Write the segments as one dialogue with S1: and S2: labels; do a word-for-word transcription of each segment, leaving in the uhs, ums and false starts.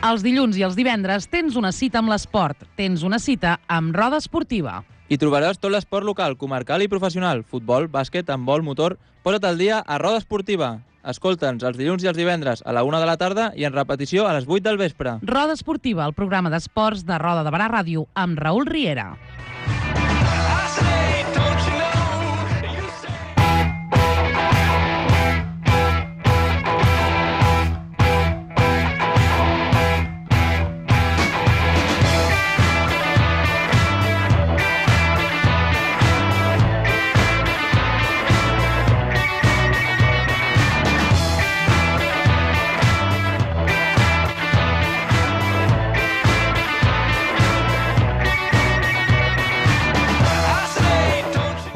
S1: Els dilluns i els divendres tens una cita amb l'esport. Tens una cita amb Roda Esportiva.
S2: Hi trobaràs tot l'esport local, comarcal i professional. Futbol, bàsquet, handbol, motor... Posa't al dia a Roda Esportiva. Escolta'ns els dilluns i els divendres a la una de la tarda i en repetició a les vuit del vespre.
S1: Roda Esportiva, el programa d'esports de Roda de Barà Ràdio amb Raül Riera.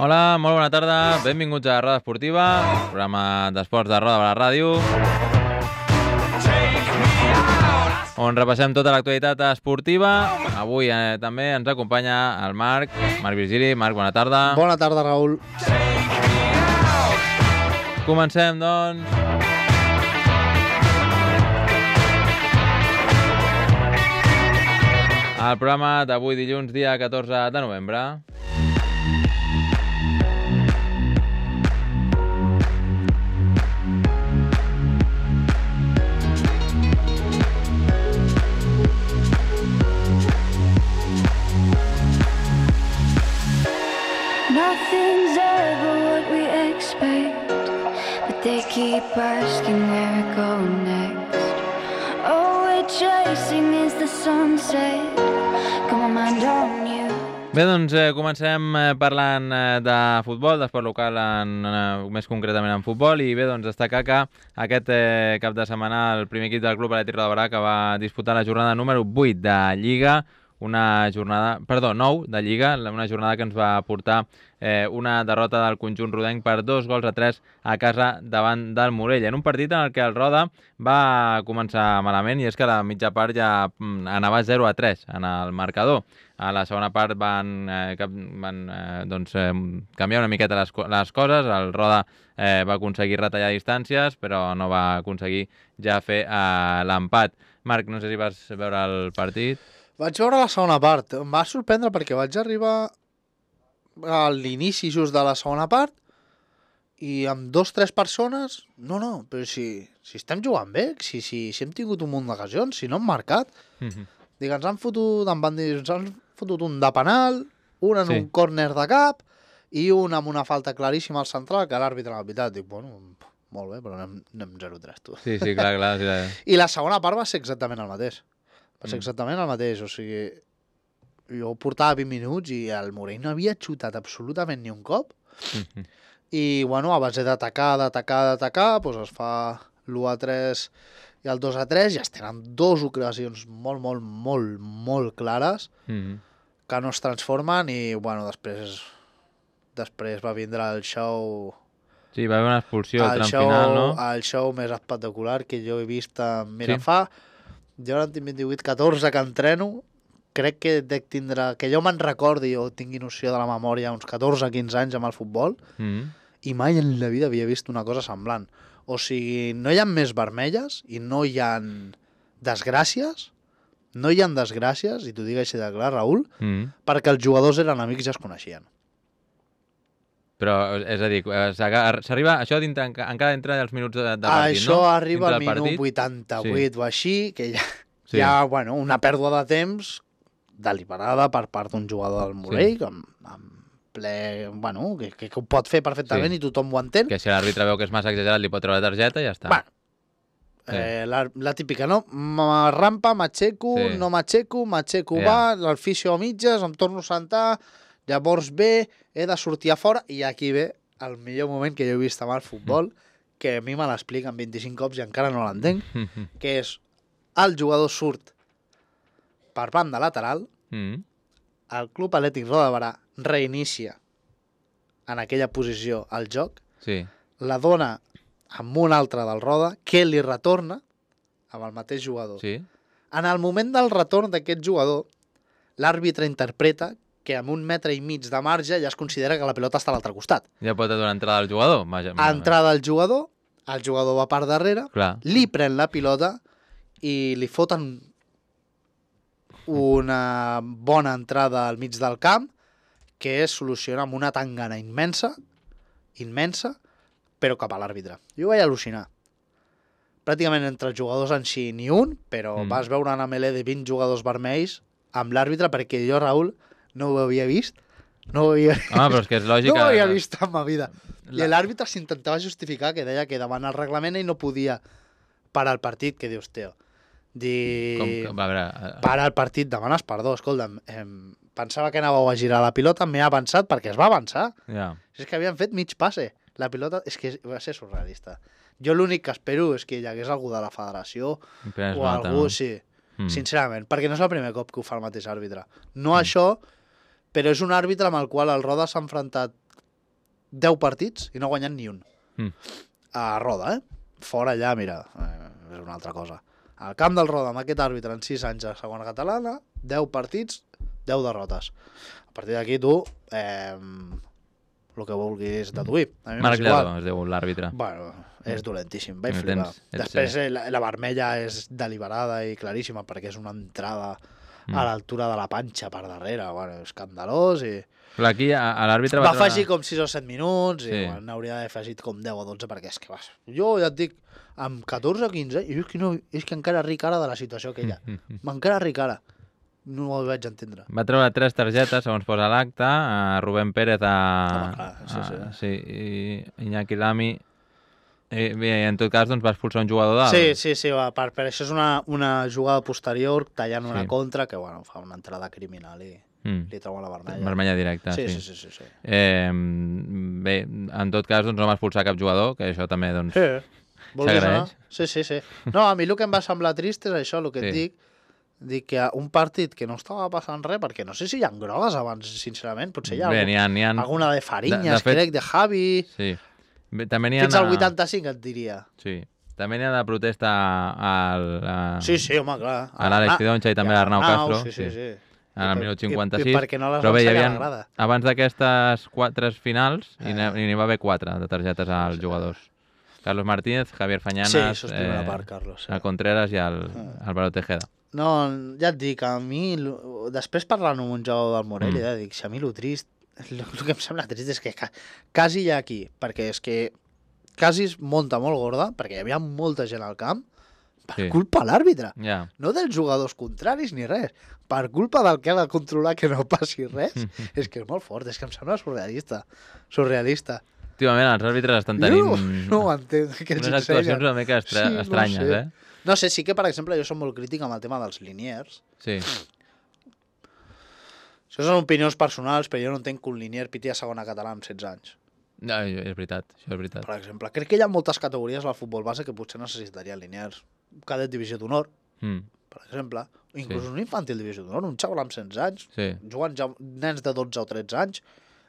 S2: Hola, molt bona tarda, benvinguts a Roda Esportiva, programa d'esports de Roda de la Ràdio, on repassem tota l'actualitat esportiva. Avui eh, també ens acompanya el Marc, Marc Virgili. Marc, bona tarda.
S3: Bona tarda, Raül.
S2: Comencem, doncs. El programa d'avui dilluns, dia catorze de novembre.
S4: Nothing's ever what we expect, but they keep asking where we're going next. All we're chasing is the sunset. Come on, mind on you.
S2: Bé, doncs eh, comencem eh, parlant eh, de futbol, d'esport local, en, eh, més concretament en futbol, i bé, doncs destacar que aquest eh, cap de setmana el primer equip del Club Atlètic Roda de Barà que va disputar la jornada número vuit de Lliga, una jornada, perdó, nou de Lliga, una jornada que ens va portar eh, una derrota del conjunt rodenc per dos gols a tres a casa davant del Morell, en un partit en el que el Roda va començar malament, i és que a la mitja part ja anava zero a tres en el marcador. A la segona part van, eh, van eh, doncs, eh, canviar una miqueta les, les coses, el Roda eh, va aconseguir retallar distàncies, però no va aconseguir ja fer eh, l'empat. Marc, no sé si vas veure el partit.
S3: Vaig veure la segona part. Em va sorprendre perquè vaig arribar a l'inici just de la segona part i amb dos o tres persones... No, no, però si, si estem jugant bé, si, si, si hem tingut un munt d'ocasions, si no hem marcat... Mm-hmm. Dic, ens han fotut, em van dir, ens han fotut un de penal, un en sí. un córner de cap i un amb una falta claríssima al central que l'àrbitre l'ha pitat. Dic, bueno, molt bé, però anem, anem zero a tres, tu.
S2: Sí, sí, clar, clar. Sí, clar.
S3: I la segona part va ser exactament el mateix. Va ser exactament el mateix, o sigui, jo portava vint minuts i el Morell no havia xutat absolutament ni un cop, mm-hmm. i, bueno, a base d'atacar, d'atacar, d'atacar, doncs es fa l'u a tres i el dos a tres, i es tenen dues ocasions molt, molt, molt, molt clares, mm-hmm. que no es transformen, i, bueno, després, després va vindre el show...
S2: Sí, va haver una expulsió al tram
S3: show,
S2: final, no?
S3: El show més espectacular que jo he vist en
S2: Sí?
S3: Mirafà. Jo ara en tinc vint-i-vuit catorze que entreno, crec que dec tindre, que jo me'n recordi o tingui noció de la memòria uns catorze quinze anys amb el futbol, mm. i mai en la vida havia vist una cosa semblant. O sigui, no hi ha més vermelles i no hi ha desgràcies, no hi ha desgràcies, i t'ho dic així de clar, Raül, mm. perquè els jugadors eren amics i ja es coneixien.
S2: Però, és a dir, s'arriba, això dintre, encara entra els minuts de, de partit,
S3: això
S2: no?
S3: Això arriba al minut vuitanta-vuit sí. o així, que ja, sí. hi ha bueno, una pèrdua de temps deliberada per part d'un jugador del Morell, sí. amb, amb ple, bueno, que, que, que ho pot fer perfectament sí. i tothom ho entén.
S2: Que si l'àrbitre veu que és massa exagerat li pot treure la targeta i ja està.
S3: Bueno, sí. eh, la, la típica, no? Rampa, m'aixeco, sí. no m'aixeco, m'aixeco yeah. va, el fisio a mitges, em torno a sentar... Llavors bé, he de sortir a fora, i aquí ve el millor moment que jo he vist amb el futbol, mm. que a mi me l'expliquen vint-i-cinc cops i encara no l'entenc, mm-hmm. que és el jugador surt per banda lateral, mm. el Club Atlètic Roda de Barà reinicia en aquella posició el joc, sí. la dona amb un altre del Roda, que li retorna amb el mateix jugador. Sí. En el moment del retorn d'aquest jugador, l'àrbitre interpreta que amb un metre i mig de marge ja es considera que la pilota està a l'altre costat.
S2: Ja pot donar entrada al jugador. Vaja,
S3: entrada al jugador, el jugador va per darrere, clar. Li pren la pilota i li foten una bona entrada al mig del camp que es soluciona amb una tangana immensa, immensa, però cap a l'àrbitre. Jo vaig al·lucinar. Pràcticament entre els jugadors en si ni un, però mm. vas veure una melé de vint jugadors vermells amb l'àrbitre perquè jo, Raül, no ho havia vist. No ho havia vist.
S2: Home, però és que és lògic.
S3: No ho havia vist en ma vida. La... I l'àrbitre s'intentava justificar que deia que davant el reglament ell no podia parar el partit, que dius, tio. Dir...
S2: Com que, va, veure...
S3: Parar el partit, demanes perdó. Escolta'm, eh, pensava que anàveu a girar la pilota, m'he avançat perquè es va avançar.
S2: Yeah.
S3: És que havien fet mig passe. La pilota és que va ser surrealista. Jo l'únic que espero és que hi hagués algú de la federació
S2: Prens
S3: o
S2: nota,
S3: algú,
S2: no?
S3: sí,
S2: mm.
S3: sincerament, perquè no és el primer cop que ho fa el mateix àrbitre. No mm. això, però és un àrbitre amb el qual el Roda s'ha enfrontat deu partits i no ha guanyat ni un.
S2: Mm.
S3: A Roda, eh? Fora allà, mira, eh, és una altra cosa. Al camp del Roda, amb aquest àrbitre en sis anys a segona catalana, deu partits, deu derrotes. A partir d'aquí tu... Eh, el que vulguis deduir.
S2: Marc Lledó es diu l'àrbitre.
S3: Bueno, és dolentíssim, vaig
S2: No
S3: flipar.
S2: tens- ets-
S3: Després eh, la, la vermella és deliberada i claríssima perquè és una entrada
S2: Mm.
S3: a l'altura de la panxa per darrere, bueno, escandalós i...
S2: Clar, aquí a, a l'àrbitre
S3: Va
S2: va treure...
S3: afegir com sis o set minuts i
S2: Sí.
S3: bueno, n'hauria d'haver afegit com deu o dotze perquè és que vas... Jo ja et dic, amb catorze o quinze, i és que, no, és que encara ric ara de la situació aquella. M'encara ric ara. No ho vaig entendre.
S2: Va treure tres targetes, segons posa l'acte, a Rubén Pérez, a...
S3: Home, clar, sí, sí.
S2: a sí, i Iñaki Lamy. I, i en tot cas, doncs, va expulsar un jugador dalt.
S3: Sí, sí, sí, va, per, per això és una, una jugada posterior, tallant una
S2: Sí.
S3: contra, que bueno, fa una entrada criminal i
S2: Mm.
S3: li treuen la vermella.
S2: Vermella directa,
S3: Sí,
S2: sí.
S3: sí, sí, sí, sí.
S2: Eh, bé, en tot cas, doncs, no va expulsar cap jugador, que això també, doncs...
S3: Sí. Vulguis
S2: S'agraeix.
S3: anar? Sí, sí, sí. No, a mi el que em va semblar trist és això, el que
S2: Sí.
S3: et dic, dic que un partit que no estava passant res, perquè no sé si hi ha grogues abans, sincerament, potser hi ha,
S2: Bé,
S3: algun,
S2: n'hi ha, n'hi ha...
S3: alguna de Farinyes,
S2: De- de fet-
S3: crec, de Javi...
S2: Sí. Bé, també n'hi ha...
S3: Fins al vuitanta-cinc et diria.
S2: Sí. També n'hi ha de protesta al... A...
S3: Sí, sí, home, clar.
S2: A l'Àlex Pidoncha i també a l'Arnau Castro.
S3: Sí, sí, sí.
S2: En el
S3: I per-
S2: minut
S3: i-
S2: cinquanta-sis.
S3: I perquè no les
S2: Però bé, hi
S3: van
S2: havia,
S3: a la grada.
S2: abans d'aquestes quatre finals,
S3: Eh.
S2: i n'hi n'hi va haver quatre de targetes als jugadors. Carlos Martínez, Javier Fañanas,
S3: Sí, això és primera part, Carlos. Sí.
S2: el Contreras i el Álvaro Tejeda.
S3: No, ja et dic, a mi, lo- després parlant amb un jugador del Morell,
S2: Mm.
S3: mm. ja dic, si a mi el trist, el, el que em sembla trist és que ca- quasi hi ha aquí, perquè és que quasi es munta molt gorda, perquè hi havia molta gent al camp, per
S2: Sí.
S3: culpa de l'àrbitre.
S2: Ja.
S3: No dels jugadors contraris ni res, per culpa del que ha de controlar que no passi res. És que és molt fort, és que em sembla surrealista. Surrealista.
S2: Últimament els àrbitres estan tenint
S3: Jo no, no ho entenc, que ens
S2: unes actuacions
S3: ensenyen.
S2: una mica estra...
S3: Sí, no
S2: estranyes,
S3: sé.
S2: eh?
S3: No sé, sí que, per exemple, jo soc molt crític amb el tema dels liniers.
S2: Sí.
S3: Això són opinions personals, però jo no entenc que un linier piti a segona català amb setze anys.
S2: No, és veritat, això és veritat.
S3: Per exemple, crec que hi ha moltes categories al futbol base que potser necessitarien liniers. Un cadet divisió d'honor,
S2: Mm.
S3: per exemple, o inclús
S2: Sí.
S3: un infantil divisió d'honor, un xaval amb setze anys,
S2: Sí.
S3: jugant ja nens de dotze o tretze anys,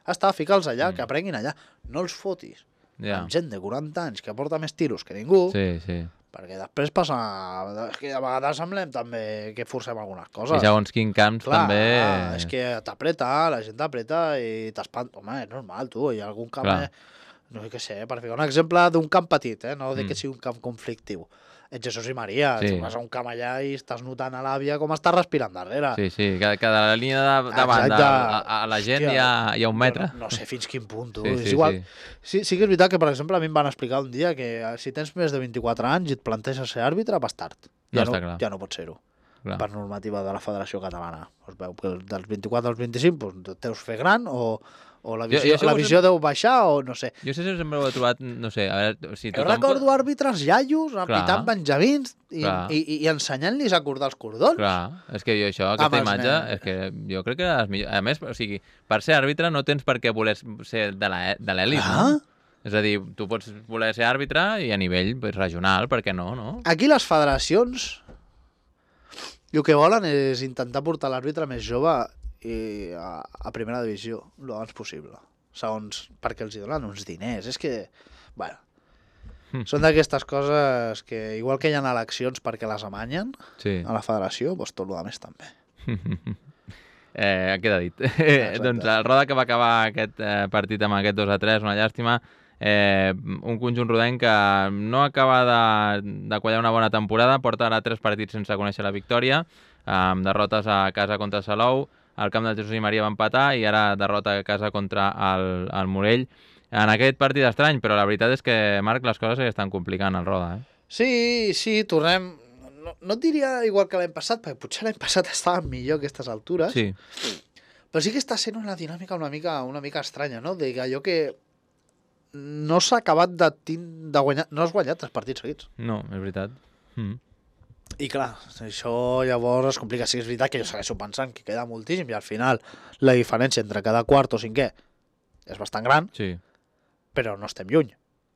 S3: està, fica'ls allà,
S2: Mm.
S3: que aprenguin allà. No els fotis.
S2: Ja.
S3: Amb gent de quaranta anys que porta més tiros que ningú,
S2: Sí, sí.
S3: perquè després passa... És que a vegades semblem també que forcem algunes
S2: I
S3: coses.
S2: segons quin camps
S3: Clar,
S2: també...
S3: és que t'apreta, la gent t'apreta i t'espanta. Home, és normal, tu, hi ha algun camp...
S2: Clar.
S3: Eh, no sé què sé, per ficar un exemple d'un camp petit, eh? No de que
S2: Mm.
S3: sigui un camp conflictiu. Ets Jesús i Maria,
S2: Sí.
S3: tu vas a un camp allà i estàs notant a l'àvia com està respirant darrere.
S2: Sí, sí, que, que de la línia de, de banda
S3: Exacte.
S2: a, a la gent
S3: Hòstia,
S2: hi ha, hi ha un metre.
S3: Jo No, no sé fins quin punt, tu.
S2: Sí,
S3: és
S2: sí,
S3: igual.
S2: sí.
S3: Sí, sí que és veritat que, per exemple, a mi em van explicar un dia que eh, si tens més de vint-i-quatre anys i et planteges ser àrbitre, vas tard.
S2: No
S3: Ja
S2: està clar.
S3: ja no pots ser-ho.
S2: Clar.
S3: Per normativa de la Federació Catalana. Es veu que dels vint-i-quatre als vint-i-cinc doncs, teus fer gran o, o la
S2: Jo-
S3: visió,
S2: jo sé
S3: la
S2: que
S3: visió deu baixar o no sé.
S2: Jo sé si sempre ho he trobat, no sé, a veure, si
S3: Jo
S2: tothom...
S3: recordo àrbitres iaios apitant benjamins i,
S2: Clar.
S3: i, i, i ensenyant-los a acordar els cordons.
S2: Clar, és que jo això,
S3: Amb
S2: aquesta
S3: els
S2: imatge,
S3: nens.
S2: és que jo crec que és millor. A més, o sigui, per ser àrbitre no tens per què voler ser de la- de l'elit,
S3: Clar.
S2: no? És a dir, tu pots voler ser àrbitre i a nivell pues, regional, per què no, no?
S3: Aquí les federacions el que volen és intentar portar l'àrbitre més jove i a, a primera divisió, el abans possible. Segons, perquè els hi donen uns diners. És que, bueno, són d'aquestes coses que, igual que hi ha eleccions perquè les amanyen
S2: Sí.
S3: a la federació, doncs tot el més també.
S2: Eh, queda dit. Eh, doncs el Roda que va acabar aquest eh, partit amb aquest dos a tres, una llàstima, Eh, un conjunt rodenc que no acaba de, de quallar una bona temporada, porta ara tres partits sense conèixer la victòria, amb derrotes a casa contra el Salou, al camp del Jesús i Maria va empatar i ara derrota a casa contra el, el Morell. En aquest partit estrany, però la veritat és que, Marc, les coses estan complicant al Roda. Eh?
S3: Sí, sí, tornem... No, no et diria igual que l'any passat, perquè potser l'any passat estava millor a aquestes altures,
S2: Sí.
S3: però sí que està sent una dinàmica una mica, una mica estranya, no? De allò que no s'ha acabat de, tin- de guanyar... No has guanyat tres partits seguits.
S2: No, és veritat. Mm.
S3: I clar, això llavors es complica. Sí, és veritat que jo segueixo pensant que queda moltíssim i al final la diferència entre cada quart o cinquè és bastant gran,
S2: Sí.
S3: però no estem lluny.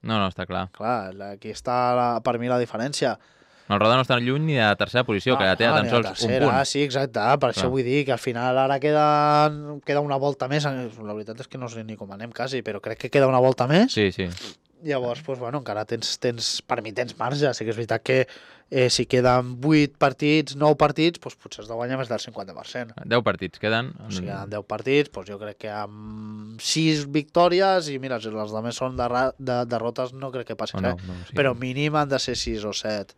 S2: No, no, està clar.
S3: Clar, la- aquí està la, per mi la diferència.
S2: El Roda no està lluny ni de la tercera posició, que ja té
S3: Ah,
S2: tan
S3: ni la
S2: sols un
S3: tercera,
S2: punt.
S3: Sí, exacte, per
S2: Clar.
S3: això vull dir que al final ara queda, queda una volta més. La veritat és que no sé ni com anem quasi, però crec que queda una volta més.
S2: Sí, sí.
S3: Llavors, doncs, bueno, encara tens, tens, per mi tens marge. Sí que és veritat que eh, si queden vuit partits, nou partits, doncs potser has de guanyar més del cinquanta per cent.
S2: deu partits queden.
S3: O sigui, en deu partits, doncs jo crec que amb sis victòries, i mira, si les altres són de, de derrotes, no crec que passi
S2: O no,
S3: res.
S2: no, sí.
S3: Però mínim han de ser sis o set,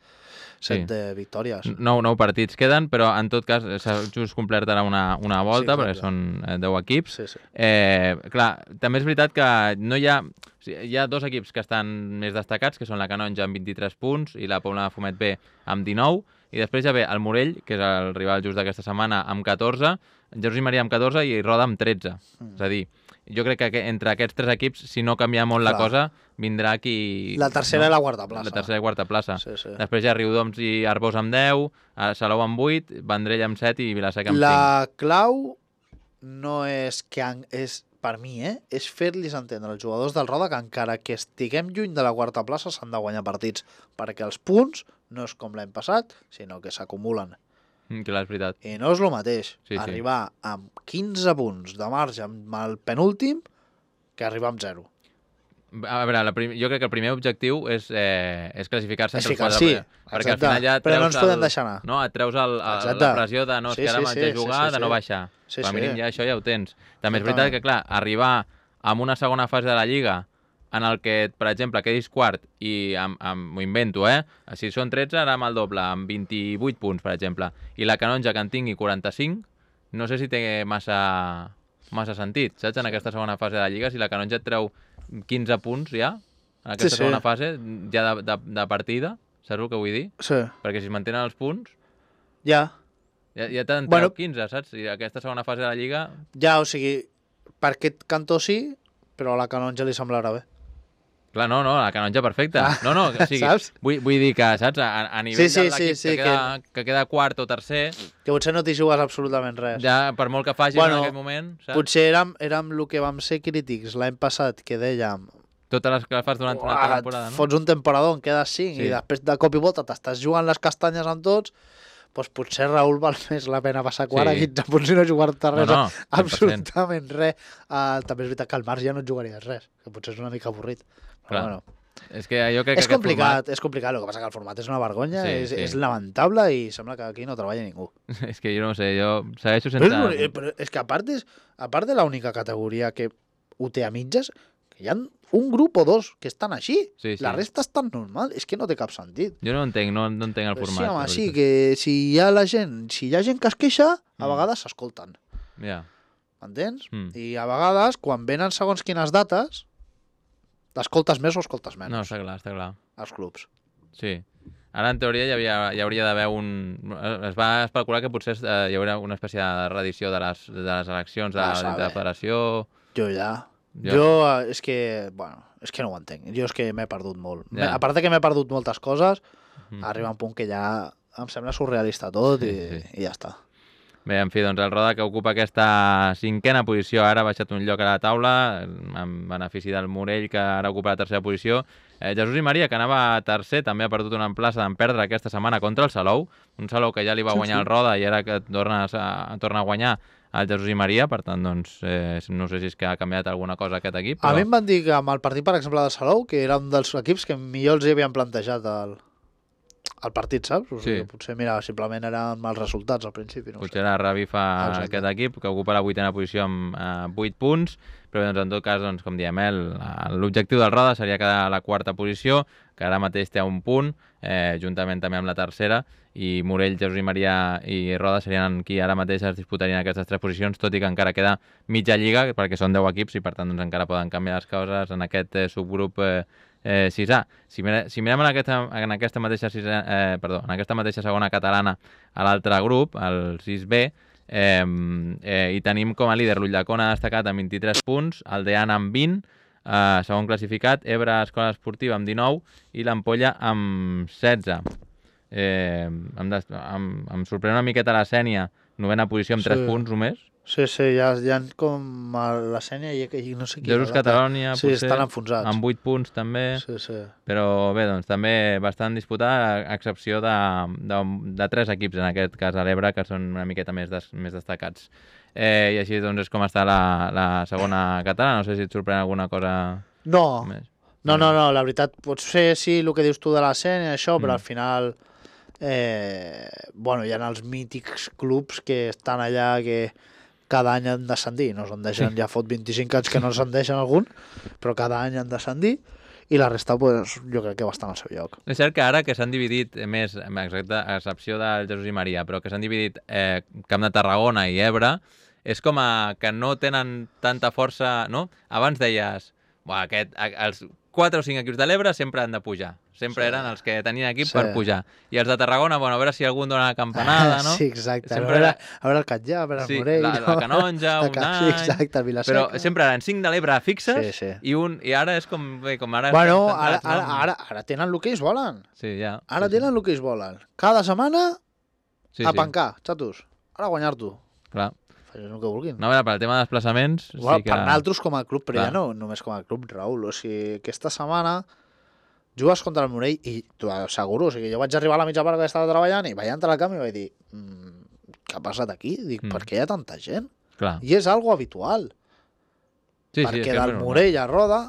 S3: set
S2: Sí.
S3: de victòries.
S2: Nou, nou partits queden, però en tot cas s'ha just complert ara una, una volta,
S3: Sí,
S2: perquè
S3: exacte.
S2: són eh, deu equips.
S3: Sí, sí.
S2: Eh, clar, també és veritat que no hi ha... O sigui, hi ha dos equips que estan més destacats, que són la Canonja amb vint-i-tres punts i la Pobla de Fumet B amb dinou, i després ja ve el Morell, que és el rival just d'aquesta setmana, amb catorze, Jesús i Maria amb catorze i Roda amb tretze. Mm. És a dir, jo crec que entre aquests tres equips, si no canvia molt la
S3: Clar.
S2: cosa, vindrà qui...
S3: La tercera i la quarta plaça.
S2: La tercera i quarta plaça.
S3: Sí, sí.
S2: Després hi ha Riudoms i Arbós amb deu, a Salou amb vuit, Vendrell amb set i Vilaseca amb cinc.
S3: La clau no és que... Han, és, per mi, eh, és fer-los entendre als jugadors del Roda que encara que estiguem lluny de la quarta plaça s'han de guanyar partits, perquè els punts no és com l'any passat, sinó que s'acumulen.
S2: Mm, clar, és veritat.
S3: I no és el mateix
S2: Sí, sí.
S3: arribar amb quinze punts de marge amb el penúltim que arribar amb zero.
S2: A veure, la prim... jo crec que el primer objectiu és, eh, és classificar-se entre els
S3: Classificar,
S2: quatre.
S3: sí,
S2: primers, perquè al
S3: exacte.
S2: final ja
S3: Però no
S2: treus
S3: ens podem
S2: el...
S3: deixar anar.
S2: No, et treus el, el,
S3: Exacte.
S2: la pressió de no, és
S3: Sí,
S2: que ara
S3: sí,
S2: m'haig
S3: sí,
S2: de jugar,
S3: sí, sí,
S2: de no
S3: sí.
S2: baixar.
S3: Sí,
S2: Com a
S3: sí.
S2: mínim ja això ja ho tens. També és
S3: Exactament.
S2: veritat que, clar, arribar amb una segona fase de la Lliga en el que, per exemple, quedis quart i amb, amb, m'ho invento, eh? Si són tretze, ara amb el doble, amb vint-i-vuit punts, per exemple, i la Canonja que en tingui quaranta-cinc, no sé si té massa, massa sentit, saps? En aquesta segona fase de la Lliga, si la Canonja et treu quinze punts ja, en aquesta
S3: Sí, sí.
S2: segona fase, ja de, de, de partida, saps el que vull dir?
S3: Sí.
S2: Perquè si es mantenen els punts,
S3: Ja,
S2: ja, ja te'n treu
S3: Bueno.
S2: quinze, saps? I aquesta segona fase de la Lliga...
S3: ja, o sigui, per aquest cantó sí, però a la Canonja li semblarà bé.
S2: Clar, no, no, la Canonja perfecta.
S3: Ah,
S2: No, no, o sigui,
S3: saps?
S2: vull, vull dir que, saps, a, a nivell
S3: Sí, sí,
S2: de l'equip
S3: sí, sí,
S2: que, queda, que... que queda quart o tercer,
S3: Que potser no t'hi jugues absolutament res.
S2: ja per molt que facis
S3: Bueno,
S2: en aquest moment, saps?
S3: Potser érem, érem el que vam ser crítics l'any passat, que dèiem
S2: Totes les que fas durant una
S3: "Uah,
S2: temporada,
S3: et
S2: no?
S3: fots un temporador, en quedes cinc,
S2: Sí.
S3: i després de cop i volta t'estàs jugant les castanyes amb tots, doncs potser, Raül, val més la pena passar quart
S2: Sí.
S3: a quinze punts i no jugar-te res,
S2: No, no, cent per cent.
S3: absolutament res. Uh, també és veritat que al marge ja no et jugaries res, que potser és una mica avorrit. Però
S2: Clar.
S3: bueno,
S2: És que jo crec
S3: és
S2: que aquest
S3: complicat, és complicat, el que passa que el format és una vergonya,
S2: Sí,
S3: és,
S2: sí.
S3: és lamentable i sembla que aquí no treballa ningú.
S2: format... És que jo no ho sé, jo segueixo
S3: Però
S2: sense...
S3: és, l'únic- eh, però és que a part, és, a part de l'única categoria que ho té a mitges, que hi ha un grup o dos que estan així.
S2: Sí, sí.
S3: La resta estan normal. És que no té cap sentit.
S2: Jo no entenc, no, no entenc el
S3: Però
S2: format.
S3: sí, home,
S2: la
S3: sí,
S2: veritat.
S3: que si hi ha la gent, si hi ha gent que es queixa, a
S2: Mm.
S3: vegades s'escolten.
S2: Ja.
S3: M'entens?
S2: Mm.
S3: I a vegades, quan venen segons quines dates, escoltes més o escoltes menys,
S2: No, està clar, està clar.
S3: als clubs.
S2: Sí. Ara, en teoria, hi, havia, hi hauria d'haver un... Es va especular que potser eh, hi haurà una espècie de reedició de les, de les eleccions de,
S3: Ah,
S2: de la
S3: sabe.
S2: federació...
S3: Jo ja...
S2: Jo-
S3: Jo, eh, és que, bueno, és que no ho entenc. Jo és que m'he perdut molt.
S2: Ja.
S3: A part de que m'he perdut moltes coses,
S2: Mm.
S3: arriba un punt que ja em sembla surrealista tot
S2: Sí,
S3: i,
S2: sí.
S3: i ja està.
S2: Bé, en fi, doncs el Roda que ocupa aquesta cinquena posició ara ha baixat un lloc a la taula en benefici del Morell que ara ocupa la tercera posició. Eh, Jesús i Maria, que anava tercer, també ha perdut una plaça d'en perdre aquesta setmana contra el Salou, un Salou que ja li va
S3: Sí,
S2: guanyar
S3: sí.
S2: el Roda i ara que torna a, torna a guanyar el Jesús i Maria, per tant, doncs, eh, no sé si és que ha canviat alguna cosa aquest equip,
S3: A
S2: però...
S3: mi em van dir que amb el partit, per exemple, de Salou, que era un dels equips que millor els hi havien plantejat el, el partit, saps? O sigui,
S2: Sí.
S3: potser, mira, simplement eren mals resultats al principi. No ho
S2: Potser
S3: sé.
S2: la revifa
S3: Exacte.
S2: aquest equip, que ocupa la vuitena posició amb eh, vuit punts, però doncs, en tot cas, doncs, com diem, eh, el- l'objectiu del Roda seria quedar a la quarta posició, que ara mateix té un punt, eh, juntament també amb la tercera, i Morell, Jesús i Maria i Roda serien qui ara mateix es disputarien aquestes tres posicions, tot i que encara queda mitja lliga, perquè són deu equips i per tant doncs, encara poden canviar les coses en aquest eh, subgrup eh, eh, sisà. Si, mire, si mirem en aquesta, en aquesta mateixa sisà, eh, perdó, en aquesta mateixa segona catalana a l'altre grup, el sis B, eh, eh, hi tenim com a líder l'Ullacona destacat amb vint-i-tres punts, el Deana amb vint, eh, segon classificat, Ebre Escola Esportiva amb dinou i l'Ampolla amb setze. Eh, em, des, em, em sorprèn una miqueta la Sènia, novena posició amb
S3: Sí.
S2: tres punts només.
S3: Sí, sí, ja, ja com a la Sènia i, i no sé qui.
S2: Jesús
S3: l'altre.
S2: Catalònia,
S3: Sí,
S2: potser,
S3: estan enfonsats.
S2: amb vuit punts també.
S3: Sí, sí.
S2: Però bé, doncs també bastant disputada, a excepció de, de, de tres equips, en aquest cas a l'Ebre, que són una miqueta més, des, més destacats. Eh, I així doncs és com està la, la segona catalana. No sé si et sorprèn alguna cosa
S3: No,
S2: més.
S3: no, no, no, la veritat, potser sí el que dius tu de la Sènia, això, però
S2: Mm.
S3: al final, eh, bueno, hi ha els mítics clubs que estan allà que cada any han descendir, no se'n deixen, ja fot vint-i-cinc anys que no se'n deixen algun, però cada any han descendir, i la resta, pues, jo crec que va estar al seu lloc.
S2: És cert que ara que s'han dividit més, exacte, a excepció del Jesús i Maria, però que s'han dividit eh, Camp de Tarragona i Ebre, és com a que no tenen tanta força, no? Abans deies, buah, aquest, a- els quatre o cinc equips de l'Ebre sempre han de pujar. Sempre
S3: Sí.
S2: eren els que tenien equip
S3: Sí.
S2: per pujar. I els de Tarragona, bueno, a veure si algun dona la campanada, no?
S3: Sí, exacte.
S2: Sempre
S3: a, veure,
S2: era-
S3: a veure el Catllà, a veure el
S2: Sí,
S3: Morell...
S2: la, la Canonja,
S3: La
S2: un
S3: Ca-
S2: any...
S3: Sí, exacte, el Vilaseca.
S2: Però sempre eren cinc de l'Ebre fixes
S3: Sí, sí.
S2: i un i ara és com, bé, com ara...
S3: Bueno,
S2: estem
S3: ara,
S2: centrats,
S3: ara,
S2: no?
S3: ara, ara tenen el que ells volen.
S2: Sí, ja.
S3: Ara
S2: sí,
S3: tenen el que ells volen. Cada setmana
S2: sí,
S3: a
S2: sí,
S3: pencar, xatos. Ara a guanyar-tu.
S2: clar.
S3: Facin el que vulguin.
S2: No, a veure, per al tema de desplaçaments...
S3: Bueno,
S2: sí que...
S3: Per nosaltres com a club, però
S2: Clar.
S3: ja no només com a club, Raül. O sigui, aquesta setmana jugues contra el Morell i t'ho asseguro, o sigui, jo vaig arribar a la mitja part que estava treballant i vaig entrar al camp i vaig dir mmm, què ha passat aquí? Dic,
S2: Mm.
S3: per què hi ha tanta gent?
S2: Clar.
S3: I és algo habitual,
S2: Sí, sí, és
S3: perquè
S2: que és
S3: del
S2: normal.
S3: Morell a Roda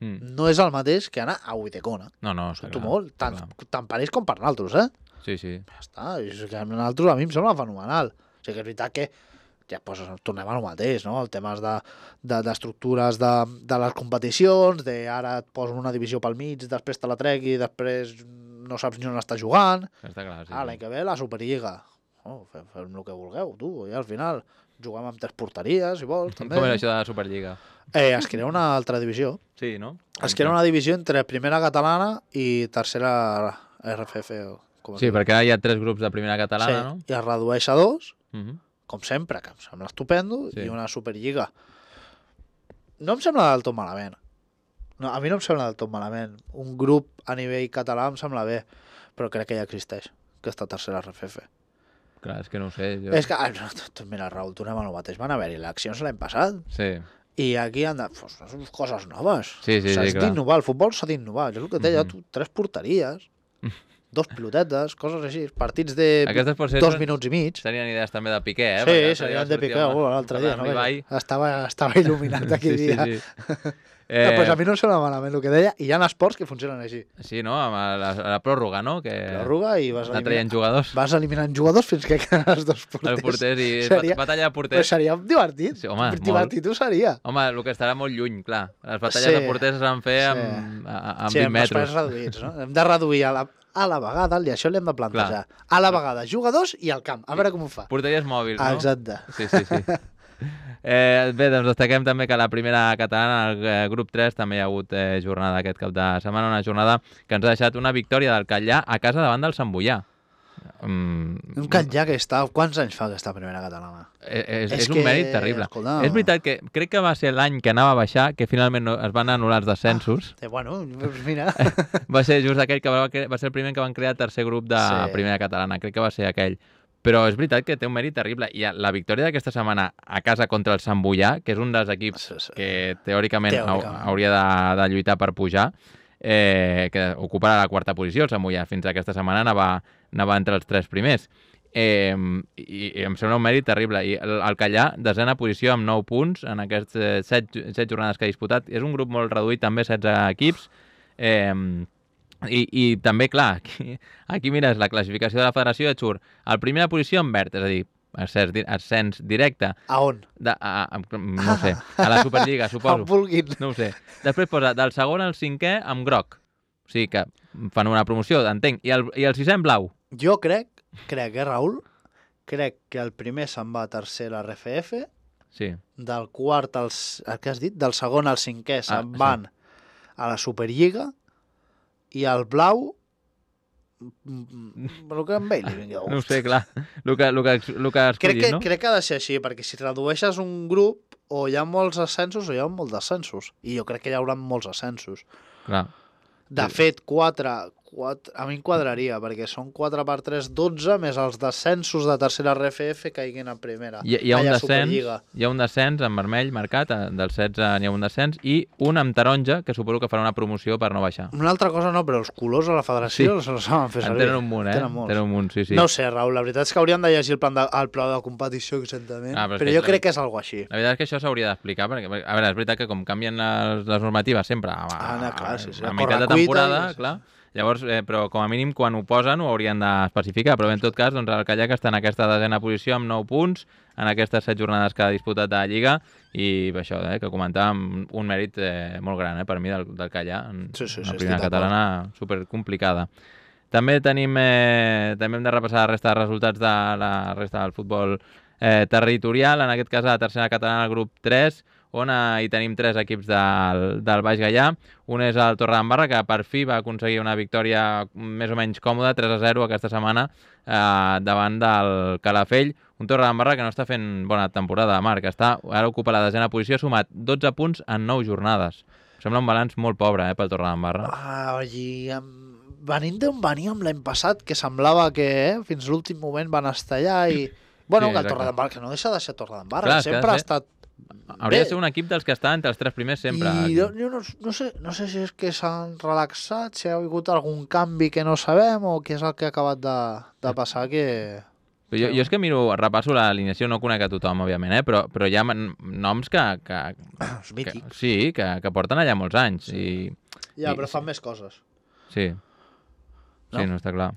S2: Mm.
S3: no és el mateix que anar a Uitecona.
S2: No, no, està
S3: Sento
S2: clar,
S3: molt,
S2: està
S3: tant,
S2: clar.
S3: tant per ells com per nosaltres, eh?
S2: Sí, sí.
S3: Ja està, és que a nosaltres a mi em sembla fenomenal. O sigui que és veritat que ja pues, tornem al mateix, no? El tema de, de, d'estructures de, de les competicions, de ara et posen una divisió pel mig, després te la trec i després no saps ni on està jugant.
S2: Està clar, sí.
S3: Ah, l'any
S2: sí.
S3: que ve la Superliga. Oh, fem, fem el que vulgueu, tu. I al final juguem amb tres porteries, si vols, també.
S2: Com era això de la Superliga?
S3: Eh, es crea una altra divisió.
S2: Sí, no?
S3: Es crea una divisió entre primera catalana i tercera R F F. O com es
S2: Sí,
S3: diu.
S2: perquè ara hi ha tres grups de primera catalana, no?
S3: I es redueix a dos,
S2: Mhm.
S3: com sempre, que em sembla estupendo,
S2: Sí.
S3: i una Superliga. No em sembla del tot malament. No, a mi no em sembla del tot malament. Un grup a nivell català em sembla bé, però crec que ja existeix, aquesta tercera R F F.
S2: Clar, és que no ho sé. Jo...
S3: És que, ah, no, tu- mira, Raül, tornem a lo mateix. Van haver-hi eleccions l'any passat,
S2: Sí.
S3: i aquí han de... Pues, són coses noves.
S2: Sí, sí,
S3: S'ha
S2: sí, clar.
S3: d'innovar, el futbol s'ha d'innovar. És el que et deia,
S2: Mhm.
S3: tu, tres porteries, dos pilotetes, coses així, partits de
S2: Aquestes potser
S3: dos
S2: són-
S3: minuts i mig.
S2: Serien idees també de Piqué, eh?
S3: Sí,
S2: Perquè
S3: serien
S2: l'altre
S3: de
S2: dia
S3: Piqué,
S2: sortia
S3: oh, l'altre dia.
S2: parlant
S3: No?
S2: amb Ibai.
S3: Estava, estava il·luminat aquell
S2: sí,
S3: dia.
S2: Sí, sí.
S3: Eh...
S2: Eh,
S3: Pues a mi no em sembla malament el que deia, i hi ha esports que funcionen així.
S2: Sí, no? Amb la, la pròrroga, no? Que
S3: Pròrroga i vas
S2: anar traient
S3: eliminant,
S2: jugadors.
S3: vas eliminant jugadors fins que queden els dos porters.
S2: Els porters i
S3: Seria-
S2: batalla de
S3: Però
S2: porters.
S3: seria divertit.
S2: Sí, home,
S3: divertit ho seria.
S2: Home, el que estarà molt lluny, clar. Les batalles
S3: Sí,
S2: de porters es van fer
S3: sí.
S2: amb, a- a- amb
S3: sí,
S2: vint
S3: amb espais
S2: metres.
S3: reduïts, no? Hem de reduir a la, a la vegada, i això l'hem de plantejar. A la vegada, jugadors i al camp. A veure com ho fa.
S2: Porteries mòbils, no?
S3: Exacte.
S2: Sí, sí, sí. Eh, bé, doncs destaquem també que la primera catalana, el eh, grup tres, també hi ha hagut eh, jornada aquest cap de setmana, una jornada que ens ha deixat una victòria del Catllà a casa davant del Sant Boià. Mm,
S3: Un Catllà que està... Quants anys fa aquesta primera catalana?
S2: és, és,
S3: És
S2: és un
S3: que,
S2: mèrit terrible.
S3: escolta-
S2: És veritat que crec que va ser l'any que anava a baixar, que finalment no, es van anul·lar els descensos.
S3: Eh, bueno, doncs mira...
S2: Va ser just aquell que va, cre- va ser el primer que van crear el tercer grup de
S3: Sí.
S2: primera catalana. Crec que va ser aquell. Però és veritat que té un mèrit terrible. I la victòria d'aquesta setmana a casa contra el Sant Boià, que és un dels equips
S3: Sí, sí.
S2: que teòricament,
S3: Teòricament.
S2: hau- hauria de, de lluitar per pujar, eh, que ocuparà la quarta posició, el Sant Boià. Fins aquesta setmana anava, anava entre els tres primers. Eh, i, i em sembla un mèrit terrible. I el, el Catllà, desena posició amb nou punts en aquests eh, set, set jornades que ha disputat. És un grup molt reduït, també setze equips. Eh, I, i també, clar, aquí, aquí mires la classificació de la federació i et surt el primera posició en verd, és a dir, ascens, ascens directe.
S3: A on?
S2: De, a, a, no ho sé, a la Superliga, suposo.
S3: On vulguin.
S2: No ho sé. Després posa del segon al cinquè amb groc. O sigui que fan una promoció, entenc. I el, i el sisè en blau.
S3: Jo crec, crec, eh, Raül? Crec que el primer se'n va a tercer a l'R F F,
S2: Sí.
S3: del quart al... Què has dit? Del segon al cinquè se'n
S2: Ah, sí.
S3: van a la Superliga i el blau... El que amb ell li vingui de
S2: No ho
S3: gust.
S2: sé, clar. El que, el que, el que
S3: Crec
S2: escollis,
S3: que,
S2: no?
S3: crec que ha de ser així, perquè si redueixes un grup o hi ha molts ascensos o hi ha molts descensos. I jo crec que hi haurà molts ascensos.
S2: Clar.
S3: De fet, quatre, quatre, a mi em quadraria, perquè són quatre per tres, dotze, més els descensos de tercera R F F caiguin a primera.
S2: Hi, hi, ha un
S3: Ai, a
S2: descens,
S3: Superliga.
S2: hi ha un descens en vermell marcat, eh, del setze n'hi ha un descens, i un amb taronja, que suposo que farà una promoció per no baixar.
S3: Una altra cosa no, però els colors a la federació
S2: Sí.
S3: sí. els saben fer
S2: En
S3: servir.
S2: tenen un munt, eh?
S3: Tenen molts.
S2: Tenen un munt, sí, sí.
S3: No ho sé, Raül, la veritat és que hauríem de llegir el, plan de, el pla de competició exactament,
S2: Ah,
S3: ah,
S2: però és
S3: però,
S2: que
S3: jo
S2: és-
S3: crec que és algo així.
S2: La veritat és que això s'hauria d'explicar, perquè, a veure, és veritat que com canvien les, les normatives sempre a, a,
S3: Ah, no, clar, sí, sí,
S2: a
S3: a
S2: meitat de
S3: correcuita
S2: temporada,
S3: i-
S2: clar, llavors, eh, però com a mínim quan ho posen ho haurien d'especificar, però bé, en tot cas, doncs, el Callac està en aquesta desena posició amb nou punts, en aquestes set jornades que ha disputat de la Lliga, i això, eh, que comentàvem, un mèrit eh, molt gran, eh, per mi, del, del Callac, en
S3: Sí, sí, sí,
S2: una
S3: estic
S2: primera
S3: d'acord.
S2: catalana supercomplicada. També tenim, eh, també hem de repassar la resta de resultats de la resta del futbol eh, territorial, en aquest cas a la tercera catalana, el grup tres, on eh, hi tenim tres equips del, del Baix Gaià. Un és el Torredembarra, que per fi va aconseguir una victòria més o menys còmoda, tres a zero aquesta setmana, eh, davant del Calafell. Un Torredembarra que no està fent bona temporada, Marc. Està, ara ocupa la desena posició, ha sumat dotze punts en nou jornades. Sembla un balanç molt pobre eh, pel Torredembarra.
S3: Ah, i amb... venint d'on veníem l'any passat, que semblava que eh, fins l'últim moment van estar allà i... Bueno,
S2: Sí,
S3: que el
S2: exacte.
S3: Torredembarra, que no deixa de ser Torredembarra,
S2: Clar,
S3: que
S2: és que ha de
S3: sempre ha
S2: ser-
S3: estat
S2: Hauria
S3: bé.
S2: de ser un equip dels que està entre els tres primers sempre.
S3: I jo, jo no, no, sé, no sé si és que s'han relaxat, si ha hagut algun canvi que no sabem o què és el que ha acabat de, de passar que...
S2: Però jo, jo és que miro, repasso l'alineació, no conec a tothom, òbviament, eh? però, però hi ha man- noms que, que,
S3: És
S2: que,
S3: mític.
S2: sí, que, que porten allà molts anys. I,
S3: Ja,
S2: i-
S3: però fan més coses.
S2: sí,
S3: No?
S2: sí, no està clar.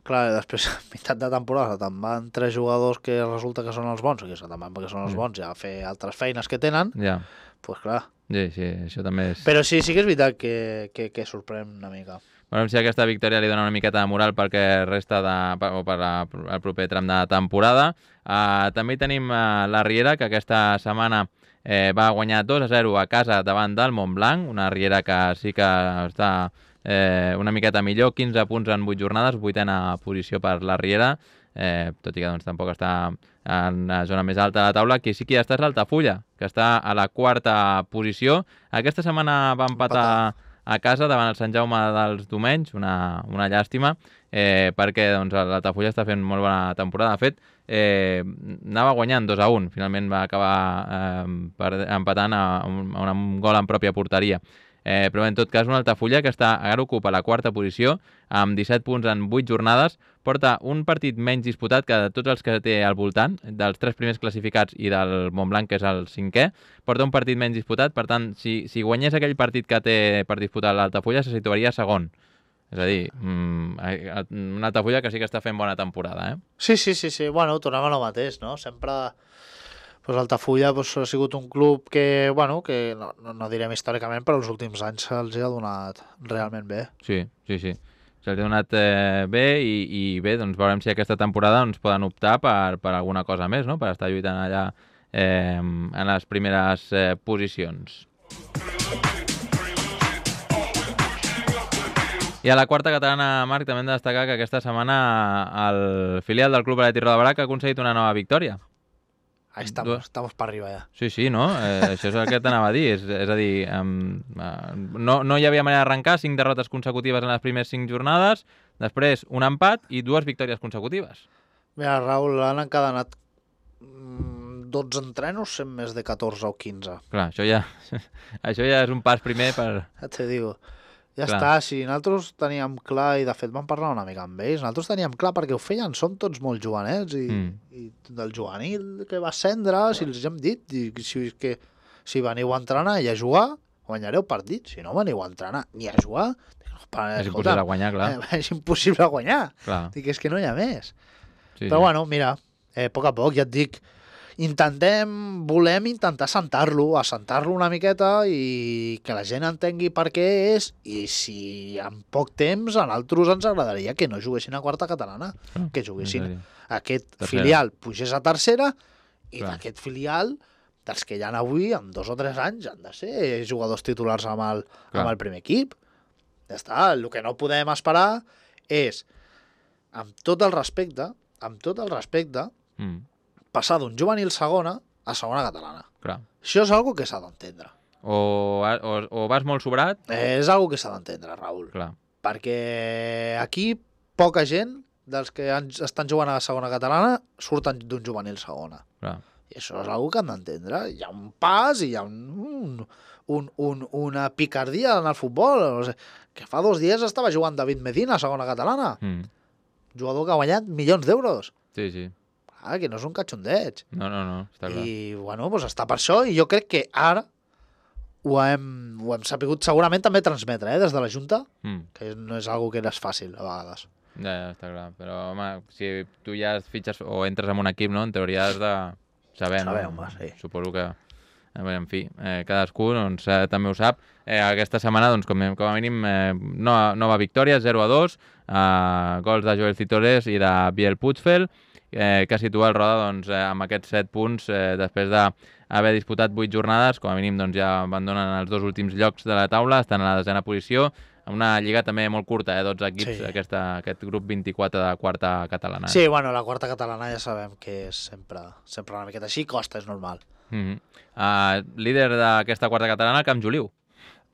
S3: Clar, després, a meitat de temporada, te'n van tres jugadors que resulta que són els bons, o que se'n van perquè són els
S2: Mm.
S3: bons, ja a fer altres feines que tenen,
S2: Ja,
S3: doncs pues clar.
S2: sí, sí, això també és...
S3: Però sí, sí que és veritat que, que, que sorprèn una mica.
S2: Veurem si aquesta victòria li dona una miqueta de moral perquè resta de, per, o per la, el proper tram de temporada. Uh, també hi tenim uh, la Riera, que aquesta setmana eh, va guanyar dos a zero a casa davant del Montblanc, una Riera que sí que està eh, una miqueta millor, quinze punts en vuit jornades, vuitena posició per la Riera, eh, tot i que doncs, tampoc està en la zona més alta de la taula. Qui sí que ja està és l'Altafulla, que està a la quarta posició. Aquesta setmana va empatar, empatar a casa davant el Sant Jaume dels Domenys, una, una llàstima, eh, perquè doncs, l'Altafulla està fent molt bona temporada. De fet, eh, anava guanyant dos a un, finalment va acabar eh, per, empatant a un, a un gol en pròpia porteria. Eh, però en tot cas un Altafulla que està, ara ocupa la quarta posició amb disset punts en vuit jornades, porta un partit menys disputat que de tots els que té al voltant, dels tres primers classificats i del Montblanc, que és el cinquè, porta un partit menys disputat, per tant, si, si guanyés aquell partit que té per disputar l'Altafulla, se situaria segon. És a dir, mmm, un Altafulla que sí que està fent bona temporada, eh?
S3: Sí, sí, sí, sí. Bueno, tornem a lo mateix, no? Sempre... Pues Altafulla pues, ha sigut un club que, bueno, que no, no, no direm històricament, però els últims anys se'ls ha donat realment bé.
S2: Sí, sí, sí. Se'ls ha donat eh, bé i, i bé, doncs veurem si aquesta temporada doncs, poden optar per, per alguna cosa més, no? Per estar lluitant allà eh, en les primeres eh, posicions. I a la quarta catalana, Marc, també hem de destacar que aquesta setmana el filial del Club Atlètic Roda ha aconseguit una nova victòria.
S3: Ahí estamos, estamos para arriba ja.
S2: Sí, sí, no? Eh, això és el que t'anava a dir. És, és a dir, um, uh, no, no hi havia manera d'arrencar, cinc derrotes consecutives en les primeres cinc jornades, després un empat i dues victòries consecutives.
S3: Mira, Raül, han encadenat mm, dotze entrenos, sent més de catorze o quinze.
S2: Clar, això ja, això ja és un pas primer per...
S3: Ja te digo. Ja
S2: Clar.
S3: està, si nosaltres teníem clar, i de fet vam parlar una mica amb ells, nosaltres teníem clar perquè ho feien, són tots molt jovenets, i,
S2: Mm.
S3: i del juvenil que va ascendre, si els hem dit, i si, que, si veniu a entrenar i a jugar, guanyareu partits, si no veniu a entrenar ni a jugar.
S2: És impossible guanyar, clar.
S3: És impossible guanyar.
S2: Clar.
S3: Dic, és que no hi ha més.
S2: Sí,
S3: Però
S2: sí.
S3: bueno, mira, eh, a poc a poc, ja et dic, intentem, volem intentar assentar-lo, assentar-lo una miqueta i que la gent entengui per què és, i si en poc temps a nosaltres ens agradaria que no juguessin a quarta catalana,
S2: Ah,
S3: que juguessin
S2: és a dir,
S3: aquest
S2: tercera.
S3: filial pugés a tercera i
S2: Clar.
S3: d'aquest filial, dels que hi ha avui, en dos o tres anys, han de ser jugadors titulars amb el,
S2: Clar.
S3: amb el primer equip. Ja està, el que no podem esperar és, amb tot el respecte, amb tot el respecte,
S2: Mm,
S3: passar d'un juvenil segona a segona catalana.
S2: clar.
S3: Això és algo que s'ha d'entendre.
S2: O, o, o vas molt sobrat,
S3: És algo que s'ha d'entendre, Raül.
S2: clar.
S3: Perquè aquí poca gent dels que han, estan jugant a la segona catalana surten d'un juvenil segona.
S2: clar.
S3: I això és algo que han d'entendre. Hi ha un pas i hi ha un, un, un, un, una picardia en el futbol. No sé, que fa dos dies estava jugant David Medina a segona catalana.
S2: Mm,
S3: Jugador que ha guanyat milions d'euros.
S2: sí, sí.
S3: Ah, que no és un catxondeig.
S2: No, no, no, està clar.
S3: I, bueno, doncs està per això, i jo crec que ara ho hem, ho hem sapigut segurament també transmetre, eh, des de la Junta,
S2: Mm,
S3: que no és algo que és fàcil, a vegades.
S2: ja, ja, està clar. Però, home, si tu ja et fitxes o entres en un equip, no? En teoria has de saber, no?
S3: Saber, home, sí.
S2: Suposo que... A veure, en fi, eh, cadascú doncs, eh, també ho sap. Eh, aquesta setmana, doncs, com, com a mínim, eh, nova, nova victòria, zero a dos, eh, gols de Joel Citores i de Biel Puigfeld, eh, que situa el Roda doncs, eh, amb aquests set punts eh, després d'haver disputat vuit jornades, com a mínim doncs, ja abandonen els dos últims llocs de la taula, estan a la desena posició, amb una lliga també molt curta, eh, dotze equips,
S3: Sí.
S2: aquesta, aquest grup vint-i-quatre de quarta catalana. Eh?
S3: Sí, bueno, la quarta catalana ja sabem que és sempre, sempre una miqueta així, costa, és normal.
S2: Mm -hmm. uh, líder d'aquesta quarta catalana, el Camp Juliu.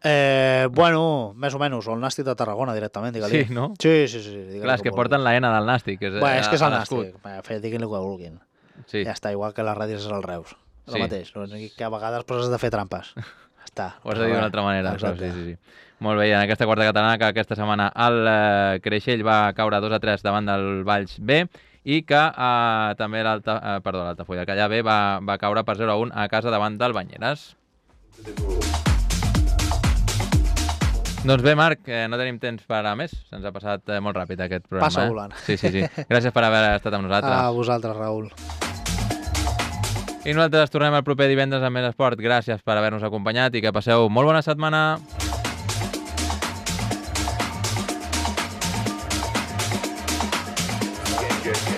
S3: Eh, bueno, més o menys, o el Nàstic de Tarragona directament, digue-li.
S2: Sí, no?
S3: Sí, sí, sí. digue-li
S2: Clar, és
S3: com
S2: que
S3: vulgui.
S2: porten la N del Nàstic. Que és,
S3: Bueno, és que és el
S2: a l'escut.
S3: Nàstic, Va, fe- diguin-li el que vulguin.
S2: Sí.
S3: Ja està, igual que les ràdios és el Reus. El
S2: Sí.
S3: mateix, l'únic que a vegades però has de fer trampes. Ja està.
S2: Ho has de dir d'una altra manera. Però
S3: Exacte.
S2: sí, sí, sí. Molt bé, i en aquesta quarta catalana, que aquesta setmana el eh, Creixell va caure dos a tres davant del Valls B, i que eh, també l'Alta... Eh, perdó, l'Altafulla, que allà B va, va caure per zero a un a casa davant del Banyeres. Doncs bé, Marc, eh, no tenim temps per a més. Se'ns ha passat eh, molt ràpid aquest programa.
S3: Passa
S2: eh?
S3: volant.
S2: Sí, sí, sí. Gràcies per haver estat amb nosaltres.
S3: A vosaltres, Raül.
S2: I nosaltres tornem el proper divendres amb més esport. Gràcies per haver-nos acompanyat i que passeu molt bona setmana.
S5: Yeah, yeah, yeah.